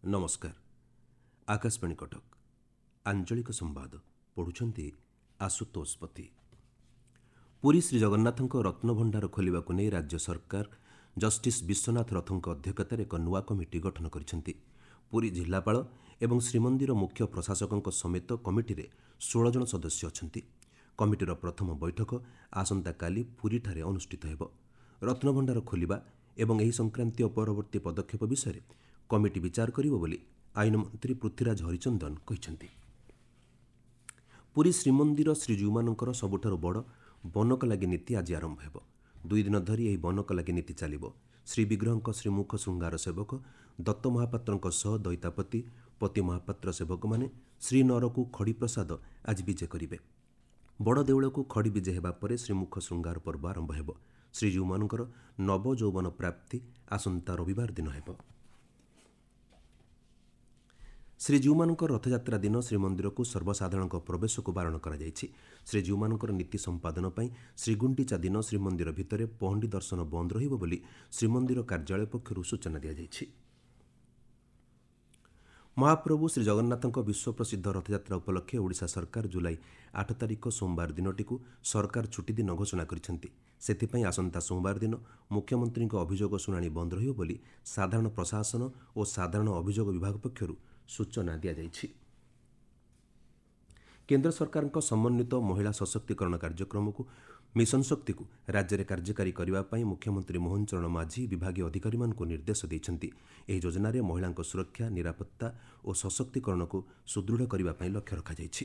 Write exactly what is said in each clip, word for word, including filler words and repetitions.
ନମସ୍କାର, ଆକାଶବାଣୀ କଟକ, ଆଞ୍ଚଳିକ ସମ୍ବାଦ ପଢ଼ୁଛନ୍ତି ଆଶୁତୋଷ ପତି। ପୁରୀ ଶ୍ରୀଜଗନ୍ନାଥଙ୍କ ରତ୍ନଭଣ୍ଡାର ଖୋଲିବାକୁ ନେଇ ରାଜ୍ୟ ସରକାର ଜଷ୍ଟିସ୍ ବିଶ୍ୱନାଥ ରଥଙ୍କ ଅଧ୍ୟକ୍ଷତାରେ ଏକ ନୂଆ କମିଟି ଗଠନ କରିଛନ୍ତି। ପୁରୀ ଜିଲ୍ଲାପାଳ ଏବଂ ଶ୍ରୀମନ୍ଦିର ମୁଖ୍ୟ ପ୍ରଶାସକଙ୍କ ସମେତ କମିଟିରେ ଷୋହଳ ଜଣ ସଦସ୍ୟ ଅଛନ୍ତି। କମିଟିର ପ୍ରଥମ ବୈଠକ ଆସନ୍ତାକାଲି ପୁରୀଠାରେ ଅନୁଷ୍ଠିତ ହେବ। ରତ୍ନଭଣ୍ଡାର ଖୋଲିବା ଏବଂ ଏହି ସଂକ୍ରାନ୍ତୀୟ ପରବର୍ତ୍ତୀ ପଦକ୍ଷେପ ବିଷୟରେ କମିଟି ବିଚାର କରିବ ବୋଲି ଆଇନ ମନ୍ତ୍ରୀ ପୃଥ୍ୱୀରାଜ ହରିଚନ୍ଦନ କହିଛନ୍ତି। ପୁରୀ ଶ୍ରୀମନ୍ଦିର ଶ୍ରୀଜୀଉମାନଙ୍କର ସବୁଠାରୁ ବଡ଼ ବନକଲାଗି ନୀତି ଆଜି ଆରମ୍ଭ ହେବ। ଦୁଇ ଦିନ ଧରି ଏହି ବନକଲାଗି ନୀତି ଚାଲିବ। ଶ୍ରୀବିଗ୍ରହଙ୍କ ଶ୍ରୀମୁଖ ଶୃଙ୍ଗାର ସେବକ ଦତ୍ତ ମହାପାତ୍ରଙ୍କ ସହ ଦଇତାପତି, ପତି ମହାପାତ୍ର ସେବକମାନେ ଶ୍ରୀନଅରକୁ ଖଡ଼ିପ୍ରସାଦ ଆଜି ବିଜେ କରିବେ। ବଡ଼ ଦେଉଳକୁ ଖଡ଼ି ବିଜେ ହେବା ପରେ ଶ୍ରୀମୁଖ ଶୃଙ୍ଗାର ପର୍ବ ଆରମ୍ଭ ହେବ। ଶ୍ରୀଜୀଉମାନଙ୍କର ନବଯୌବନ ପ୍ରାପ୍ତି ଆସନ୍ତା ରବିବାର ଦିନ ହେବ। ଶ୍ରୀଜୀଉମାନଙ୍କର ରଥଯାତ୍ରା ଦିନ ଶ୍ରୀମନ୍ଦିରକୁ ସର୍ବସାଧାରଣଙ୍କ ପ୍ରବେଶକୁ ବାରଣ କରାଯାଇଛି। ଶ୍ରୀଜୀଉମାନଙ୍କର ନୀତି ସମ୍ପାଦନ ପାଇଁ ଶ୍ରୀଗୁଣ୍ଡିଚା ଦିନ ଶ୍ରୀମନ୍ଦିର ଭିତରେ ପହଣ୍ଡି ଦର୍ଶନ ବନ୍ଦ ରହିବ ବୋଲି ଶ୍ରୀମନ୍ଦିର କାର୍ଯ୍ୟାଳୟ ପକ୍ଷରୁ ସୂଚନା ଦିଆଯାଇଛି। ମହାପ୍ରଭୁ ଶ୍ରୀଜଗନ୍ନାଥଙ୍କ ବିଶ୍ୱପ୍ରସିଦ୍ଧ ରଥଯାତ୍ରା ଉପଲକ୍ଷେ ଓଡ଼ିଶା ସରକାର ଜୁଲାଇ ଆଠ ତାରିଖ ସୋମବାର ଦିନଟିକୁ ସରକାର ଛୁଟିଦିନ ଘୋଷଣା କରିଛନ୍ତି। ସେଥିପାଇଁ ଆସନ୍ତା ସୋମବାର ଦିନ ମୁଖ୍ୟମନ୍ତ୍ରୀଙ୍କ ଅଭିଯୋଗ ଶୁଣାଣି ବନ୍ଦ ରହିବ ବୋଲି ସାଧାରଣ ପ୍ରଶାସନ ଓ ସାଧାରଣ ଅଭିଯୋଗ ବିଭାଗ ପକ୍ଷରୁ ସୂଚନା ଦିଆଯାଇଛି। କେନ୍ଦ୍ର ସରକାରଙ୍କ ସମନ୍ୱିତ ମହିଳା ସଶକ୍ତିକରଣ କାର୍ଯ୍ୟକ୍ରମକୁ ମିଶନ ଶକ୍ତିକୁ ରାଜ୍ୟରେ କାର୍ଯ୍ୟକାରୀ କରିବା ପାଇଁ ମୁଖ୍ୟମନ୍ତ୍ରୀ ମୋହନ ଚରଣ ମାଝୀ ବିଭାଗୀୟ ଅଧିକାରୀମାନଙ୍କୁ ନିର୍ଦ୍ଦେଶ ଦେଇଛନ୍ତି। ଏହି ଯୋଜନାରେ ମହିଳାଙ୍କ ସୁରକ୍ଷା, ନିରାପତ୍ତା ଓ ସଶକ୍ତିକରଣକୁ ସୁଦୃଢ଼ କରିବା ପାଇଁ ଲକ୍ଷ୍ୟ ରଖାଯାଇଛି।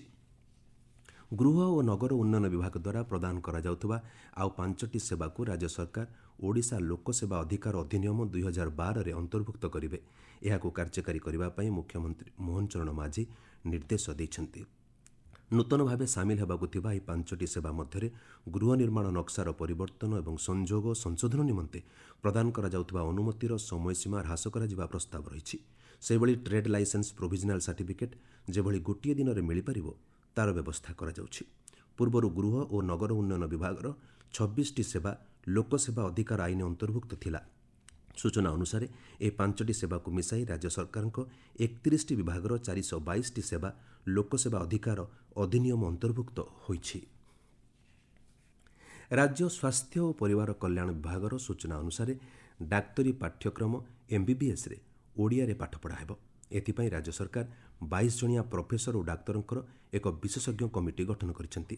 ଗୃହ ଓ ନଗର ଉନ୍ନୟନ ବିଭାଗ ଦ୍ୱାରା ପ୍ରଦାନ କରାଯାଉଥିବା ଆଉ ପାଞ୍ଚଟି ସେବାକୁ ରାଜ୍ୟ ସରକାର ଓଡ଼ିଶା ଲୋକସେବା ଅଧିକାର ଅଧିନିୟମ ଦୁଇ ହଜାର ବାରରେ ଅନ୍ତର୍ଭୁକ୍ତ କରିବେ। ଏହାକୁ କାର୍ଯ୍ୟକାରୀ କରିବା ପାଇଁ ମୁଖ୍ୟମନ୍ତ୍ରୀ ମୋହନ ଚରଣ ମାଝୀ ନିର୍ଦ୍ଦେଶ ଦେଇଛନ୍ତି। ନୂତନ ଭାବେ ସାମିଲ ହେବାକୁ ଥିବା ଏହି ପାଞ୍ଚଟି ସେବା ମଧ୍ୟରେ ଗୃହ ନିର୍ମାଣ ନକ୍ସାର ପରିବର୍ତ୍ତନ ଏବଂ ସଂଯୋଗ ସଂଶୋଧନ ନିମନ୍ତେ ପ୍ରଦାନ କରାଯାଉଥିବା ଅନୁମତିର ସମୟସୀମା ହ୍ରାସ କରାଯିବା ପ୍ରସ୍ତାବ ରହିଛି। ସେହିଭଳି ଟ୍ରେଡ୍ ଲାଇସେନ୍ସ ପ୍ରୋଭିଜନାଲ୍ ସାର୍ଟିଫିକେଟ୍ ଯେଭଳି ଗୋଟିଏ ଦିନରେ ମିଳିପାରିବ ତାର ବ୍ୟବସ୍ଥା କରାଯାଉଛି। ପୂର୍ବରୁ ଗୃହ ଓ ନଗର ଉନ୍ନୟନ ବିଭାଗର ଛବିଶଟି ସେବା ଲୋକସେବା ଅଧିକାର ଆଇନ ଅନ୍ତର୍ଭୁକ୍ତ ଥିଲା। ସୂଚନା ଅନୁସାରେ ଏହି ପାଞ୍ଚଟି ସେବାକୁ ମିଶାଇ ରାଜ୍ୟ ସରକାରଙ୍କ ଏକତିରିଶଟି ବିଭାଗର ଚାରିଶହ ବାଇଶଟି ସେବା ଲୋକସେବା ଅଧିକାର ଅଧିନିୟମ ଅନ୍ତର୍ଭୁକ୍ତ ହୋଇଛି। ରାଜ୍ୟ ସ୍ୱାସ୍ଥ୍ୟ ଓ ପରିବାର କଲ୍ୟାଣ ବିଭାଗର ସୂଚନା ଅନୁସାରେ ଡାକ୍ତରୀ ପାଠ୍ୟକ୍ରମ ଏମ୍ବିବିଏସ୍ରେ ଓଡ଼ିଆରେ ପାଠପଢ଼ା ହେବ। ଏଥିପାଇଁ ରାଜ୍ୟ ସରକାର ବାଇଶ ଜଣିଆ ପ୍ରଫେସର ଓ ଡାକ୍ତରଙ୍କର ଏକ ବିଶେଷଜ୍ଞ କମିଟି ଗଠନ କରିଛନ୍ତି।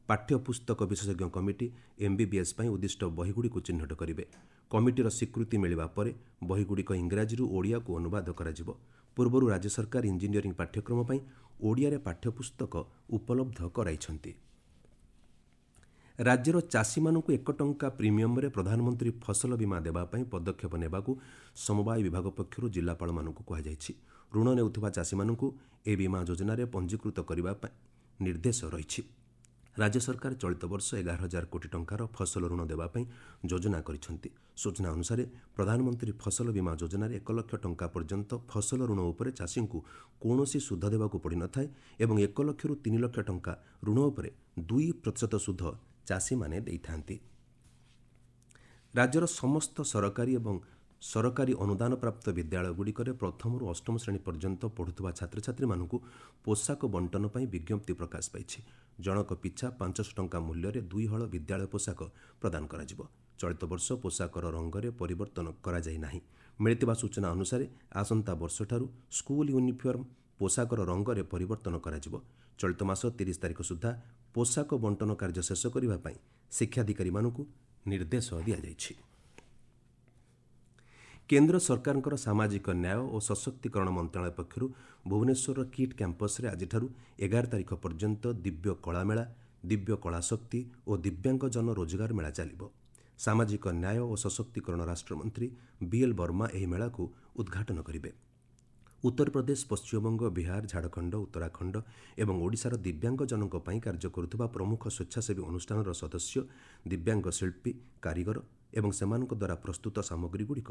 ପାଠ୍ୟପୁସ୍ତକ ବିଶେଷଜ୍ଞ କମିଟି ଏମ୍ବିବିଏସ୍ ପାଇଁ ଉଦ୍ଦିଷ୍ଟ ବହିଗୁଡ଼ିକୁ ଚିହ୍ନଟ କରିବେ। କମିଟିର ସ୍ୱୀକୃତି ମିଳିବା ପରେ ବହିଗୁଡ଼ିକ ଇଂରାଜୀରୁ ଓଡ଼ିଆକୁ ଅନୁବାଦ କରାଯିବ। ପୂର୍ବରୁ ରାଜ୍ୟ ସରକାର ଇଞ୍ଜିନିୟରିଂ ପାଠ୍ୟକ୍ରମ ପାଇଁ ଓଡ଼ିଆରେ ପାଠ୍ୟପୁସ୍ତକ ଉପଲବ୍ଧ କରାଇଛନ୍ତି। ରାଜ୍ୟର ଚାଷୀମାନଙ୍କୁ ଏକ ଟଙ୍କା ପ୍ରିମିୟମରେ ପ୍ରଧାନମନ୍ତ୍ରୀ ଫସଲ ବୀମା ଦେବା ପାଇଁ ପଦକ୍ଷେପ ନେବାକୁ ସମବାୟ ବିଭାଗ ପକ୍ଷରୁ ଜିଲ୍ଲାପାଳମାନଙ୍କୁ କୁହାଯାଇଛି। ଋଣ ନେଉଥିବା ଚାଷୀମାନଙ୍କୁ ଏହି ବୀମା ଯୋଜନାରେ ପଞ୍ଜୀକୃତ କରିବା ପାଇଁ ନିର୍ଦ୍ଦେଶ ରହିଛି। ରାଜ୍ୟ ସରକାର ଚଳିତ ବର୍ଷ ଏଗାର ହଜାର କୋଟି ଟଙ୍କାର ଫସଲ ଋଣ ଦେବା ପାଇଁ ଯୋଜନା କରିଛନ୍ତି। ସୂଚନା ଅନୁସାରେ ପ୍ରଧାନମନ୍ତ୍ରୀ ଫସଲ ବୀମା ଯୋଜନାରେ ଏକ ଲକ୍ଷ ଟଙ୍କା ପର୍ଯ୍ୟନ୍ତ ଫସଲ ଋଣ ଉପରେ ଚାଷୀଙ୍କୁ କୌଣସି ସୁଧ ଦେବାକୁ ପଡ଼ିନଥାଏ ଏବଂ ଏକ ଲକ୍ଷରୁ ତିନି ଲକ୍ଷ ଟଙ୍କା ଋଣ ଉପରେ ଦୁଇ ପ୍ରତିଶତ ସୁଧ ଚାଷୀମାନେ ଦେଇଥାନ୍ତି। ରାଜ୍ୟର ସମସ୍ତ ସରକାରୀ ଏବଂ ସରକାରୀ ଅନୁଦାନପ୍ରାପ୍ତ ବିଦ୍ୟାଳୟଗୁଡ଼ିକରେ ପ୍ରଥମରୁ ଅଷ୍ଟମ ଶ୍ରେଣୀ ପର୍ଯ୍ୟନ୍ତ ପଢ଼ୁଥିବା ଛାତ୍ରଛାତ୍ରୀମାନଙ୍କୁ ପୋଷାକ ବଣ୍ଟନ ପାଇଁ ବିଜ୍ଞପ୍ତି ପ୍ରକାଶ ପାଇଛି। ଜଣକ ପିଛା ପାଞ୍ଚଶହ ଟଙ୍କା ମୂଲ୍ୟରେ ଦୁଇ ହଳ ବିଦ୍ୟାଳୟ ପୋଷାକ ପ୍ରଦାନ କରାଯିବ। ଚଳିତ ବର୍ଷ ପୋଷାକର ରଙ୍ଗରେ ପରିବର୍ତ୍ତନ କରାଯାଇ ନାହିଁ। ମିଳିଥିବା ସୂଚନା ଅନୁସାରେ ଆସନ୍ତା ବର୍ଷଠାରୁ ସ୍କୁଲ ୟୁନିଫର୍ମ ପୋଷାକର ରଙ୍ଗରେ ପରିବର୍ତ୍ତନ କରାଯିବ। ଚଳିତ ମାସ ତିରିଶ ତାରିଖ ସୁଦ୍ଧା ପୋଷାକ ବଣ୍ଟନ କାର୍ଯ୍ୟ ଶେଷ କରିବା ପାଇଁ ଶିକ୍ଷାଧିକାରୀମାନଙ୍କୁ ନିର୍ଦ୍ଦେଶ ଦିଆଯାଇଛି। କେନ୍ଦ୍ର ସରକାରଙ୍କର ସାମାଜିକ ନ୍ୟାୟ ଓ ସଶକ୍ତିକରଣ ମନ୍ତ୍ରଣାଳୟ ପକ୍ଷରୁ ଭୁବନେଶ୍ୱରର କିଟ୍ କ୍ୟାମ୍ପସରେ ଆଜିଠାରୁ ଏଗାର ତାରିଖ ପର୍ଯ୍ୟନ୍ତ ଦିବ୍ୟ କଳାମେଳା, ଦିବ୍ୟ କଳାଶକ୍ତି ଓ ଦିବ୍ୟାଙ୍ଗଜନ ରୋଜଗାର ମେଳା ଚାଲିବ। ସାମାଜିକ ନ୍ୟାୟ ଓ ସଶକ୍ତିକରଣ ରାଷ୍ଟ୍ରମନ୍ତ୍ରୀ ବିଏଲ୍ ବର୍ମା ଏହି ମେଳାକୁ ଉଦ୍ଘାଟନ କରିବେ। ଉତ୍ତରପ୍ରଦେଶ, ପଶ୍ଚିମବଙ୍ଗ, ବିହାର, ଝାଡ଼ଖଣ୍ଡ, ଉତ୍ତରାଖଣ୍ଡ ଏବଂ ଓଡ଼ିଶାର ଦିବ୍ୟାଙ୍ଗଜନଙ୍କ ପାଇଁ କାର୍ଯ୍ୟ କରୁଥିବା ପ୍ରମୁଖ ସ୍ୱେଚ୍ଛାସେବୀ ଅନୁଷ୍ଠାନର ସଦସ୍ୟ, ଦିବ୍ୟାଙ୍ଗ ଶିଳ୍ପୀ, କାରିଗର ଏବଂ ସେମାନଙ୍କ ଦ୍ୱାରା ପ୍ରସ୍ତୁତ ସାମଗ୍ରୀଗୁଡ଼ିକ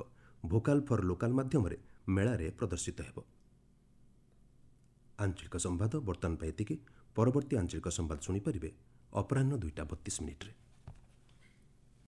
ଭୋକାଲ୍ ଫର୍ ଲୋକାଲ୍ ମାଧ୍ୟମରେ ମେଳାରେ ପ୍ରଦର୍ଶିତ ହେବ। ଆଞ୍ଚଳିକ ସମ୍ବାଦ ବର୍ତ୍ତମାନ ପାଇଁ ଏତିକି। ପରବର୍ତ୍ତୀ ଆଞ୍ଚଳିକ ସମ୍ବାଦ ଶୁଣିପାରିବେ ଅପରାହ୍ନ ଦୁଇଟା ବତିଶ ମିନିଟ୍ରେ।